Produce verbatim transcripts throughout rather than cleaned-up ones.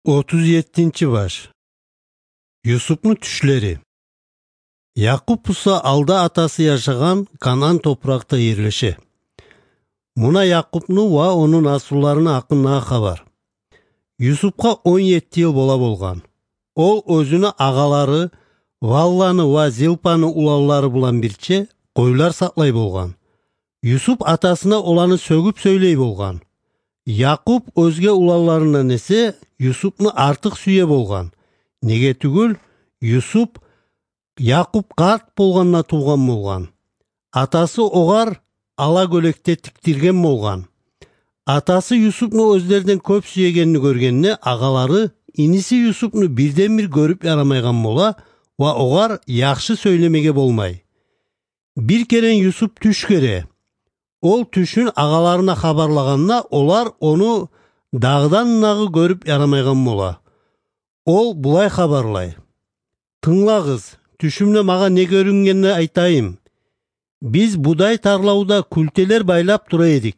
Отуз еттинчи баш. Юсупну тюшлери. Якъуб буса алда атасы яшагъан Канаан топуракъда ерлеше. Муна Якъубну ва ону наслуларыны гьакъындагъы хабар. Юсупгъа он етти йыл бола болгъан. Ол оьзюню агъалары Валланы ва Зилпаны уланлары булан бирче къойлар сакълай болгъан. Юсуп атасына оланы сёгюп сёйлей болгъан. Якъуб оьзге уланларындан эсе Юсупну артыкъ сюе болгъан. Неге тюгюл, Юсуп Якъуб къарт болгъанда тувгъан болгъан. Атасы огъар ала гёлекде тикдирген болгъан. Атасы Юсупну оьзлерден кёп сюегенни гёргенде, агъалары иниси Юсупну бирден-бир гёрюп ярамайгъан бола ва огъар яхшы сёйлемеге болмай. Бир керен Юсуп тюш гёре. Ол тюшюн агъаларына хабарлагъанда, олар ону дагъдан-дагъы гёрюп ярамайгъан бола. Ол булай хабарлай: «Тынглагъыз, тюшюмде магъа не гёрюнгенни айтайым. Биз будай тарлавда кюлтелер байлап тура эдик.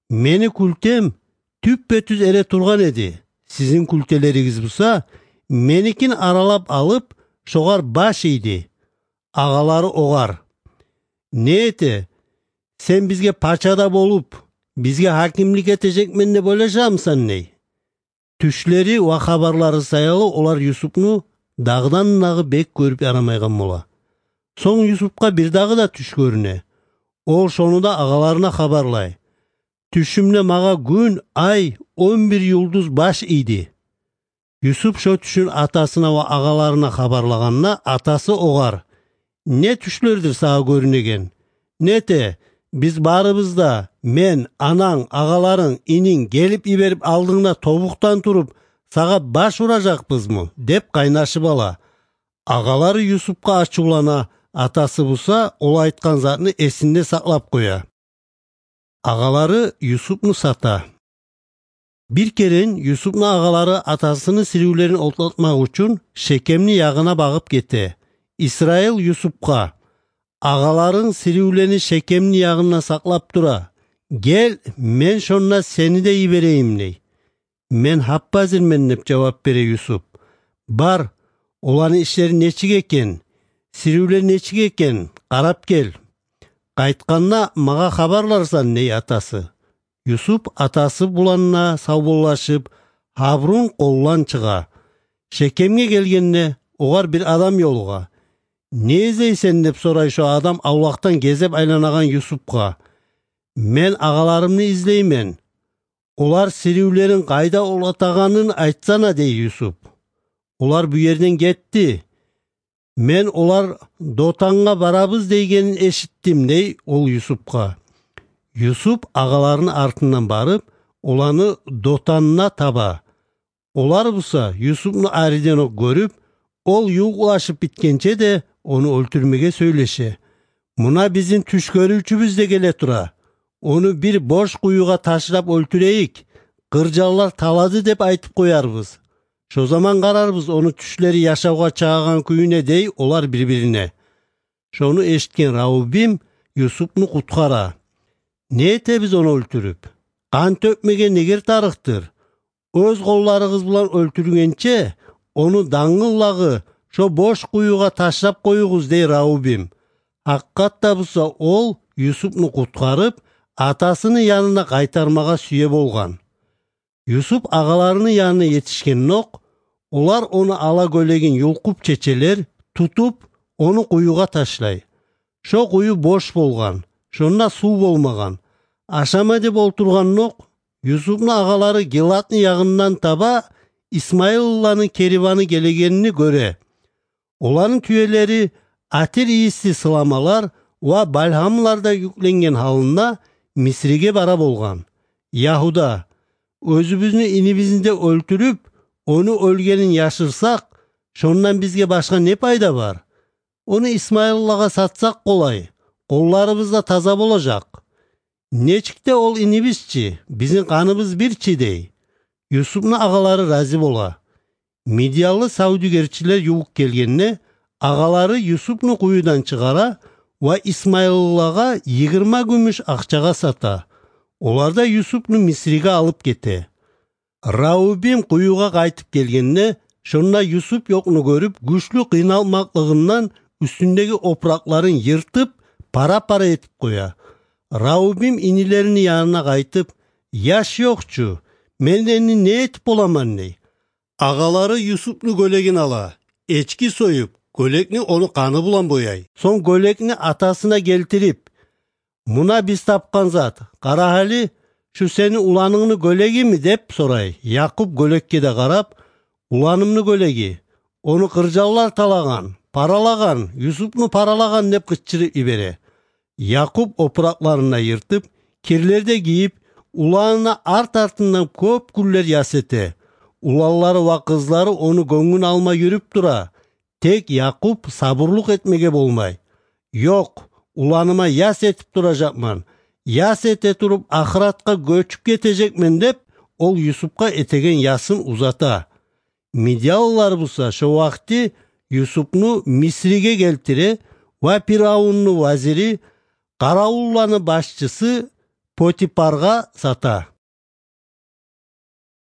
Мени кюлтем тюппе-тюз эретургъан эди. Сизин кюлтелеригиз буса меникин аралап алып, шогъар баш ийди». Агъалары огъар: «Не эте, сен бизге пача да болуп, бизге гьакимлик этежекмен деп ойлашамысан?» – дей. Тюшлери ва хабарлары саялы олар Юсупну дагъдан-дагъы бек гёрюп ярамайгъан бола. Сонг Юсупгъа бирдагъы да тюш гёрюне. Ол шону да агъаларына хабарлай: «Тюшюмде магъа гюн, ай, он бир юлдуз баш ийди». Юсуп шо тюшюн атасына ва агъаларына хабарлагъанда, атасы огъар: «Не тюшлердир сагъа гёрюнеген? Не эте, биз барыбыз да, мен, ананг, агъаларынг, ининг, гелип йиберип алдынгда тобукъдан туруп, сагъа баш уражакъбызмы?» – деп къайнашып ала. Агъалары Юсупгъа ачувлана, атасы буса ол айтгъан затны эсинде сакълап къоя. Агъалары Юсупну сата. Бир керен Юсупну агъалары атасыны сиривлерин отлатмакъ учун Шекемни ягъына багъып гете. Исраил Юсупгъа: «Агъаларынг сиривлени Шекемни ягъында сакълап тура. Гел, мен шонда сени де йиберейим», – дей. «Мен гьап-гьазирмен», – деп жавап бере Юсуп. «Бар, оланы ишлери нечик экен, сиривлери нечик экен, къарап гел. Къайтгъанда магъа хабарларсан», – дей атасы. Юсуп атасы булан да савболлашып, Гьаврун къолдан чыгъа. Шекемге гелгенде, огъар бир адам ёлугъа. «Не излейсен?» – деп сорай шо адам авлакъдан гезеп айланагъан Юсупгъа. «Мен агъаларымны излеймен. Олар сиривлерин къайда отлатагъанын айтсана», – дей Юсуп. «Олар бу ерден гетди. Мен олар Дотангъа барабыз дейгенин эшитдим», – дей ол Юсупгъа. Юсуп агъаларыны артындан барып, оланы Дотанда таба. Олар буса Юсупну ариденокъ гёрюп, ол ювукълашып битгенче де ону оьлтюрмеге сёйлеше. «Муна бизин тюш гёрювчюбюз де геле тура. Ону бир бош къуюгъа ташлап оьлтюрейик, къыржанлар талады деп айтып къоярбыз. Шо заман къарарбыз ону тюшлери яшавгъа чагъагъан кююне», – дей олар бир-бирине. Шону эшитген Раубим Юсупну къутгъара. «Не этебиз ону оьлтюрюп? Къан тёкмеге негер тарыкъдыр. Оьз къолларыгъыз булан оьлтюргенче, ону дангыллагъы шо бош къуюгъа ташлап къоюгъуз», – дей Раубим. Гьакъыкъатда буса ол Юсупну къутгъарып, атасыны янына къайтармагъа сюе болгъан. Юсуп агъаларыны янына етишгенокъ, олар ону ала гёлегин юлкъуп чечелер, тутуп, ону къуюгъа ташлай. Шо къую бош болгъан, шонда сув болмагъан. Ашама деп олтургъанокъ, Юсупну агъалары Гилатны ягъындан таба исмаилланы кериваны гелегенни гёре. Оланы тюелери атир ийисли сыламалар ва бальгьамларда юкленген гьалында Мисриге бара болгъан. Ягьуда: «Оьзюбюзню инибизни де оьлтюрюп, ону оьлгенин яшырсакъ, шондан бизге башгъа не пайда бар? Ону исмаиллагъа сатсакъ къолай, къолларыбыз да таза болажакъ. Нечик де ол инибиз чи, бизин къаныбыз бир чи», – дей. Юсупну агъалары рази бола. Мидиялы савдюгерчилер ювукъ гелгенде, агъалары Юсупну къуюдан чыгъара ва исмаиллагъа йигирма гюмюш акъчагъа сата. Олар да Юсупну Мисриге алып гете. Раубим къуюгъа къайтып гелгенде, шонда Юсуп ёкъну гёрюп, гючлю къыйналмакълыгъындан уьстюндеги опуракъларын йыртып, пара-пара этип къоя. Раубим инилерини янына къайтып: «Яш ёкъ чу, мен энни не этип боламан?» — дей. Агъалары Юсупну гёлегин ала, эчки союп, гёлекни ону къаны булан бояй. Сонг гёлекни атасына гелтирип: «Муна биз тапгъан зат, къара гьали, шу сени уланынгны гёлегими?» — деп сорай. Якъуб гёлекге де къарап: «Уланымны гёлеги, ону къыржанлар талагъан, паралагъан, Юсупну паралагъан», — деп къычырып йибере. Якъуб опуракъларын да йыртып, кирлер де гийип, уланына арт-артындан кёп гюнлер яс эте. Уланлары ва къызлары ону гёнгюн алма юрюп тура. Тек Якъуб сабурлукъ этмеге болмай. «Ёкъ, уланыма яс этип туражакъман. Яс эте туруп, ахыратгъа гёчюп гетежекмен», — деп, ол Юсупгъа этеген ясын узата. Мидиянлылар буса шо вакъти Юсупну Мисриге гелтире ва Пиравунну вазири, къаравулланы башчысы Потипаргъа сата.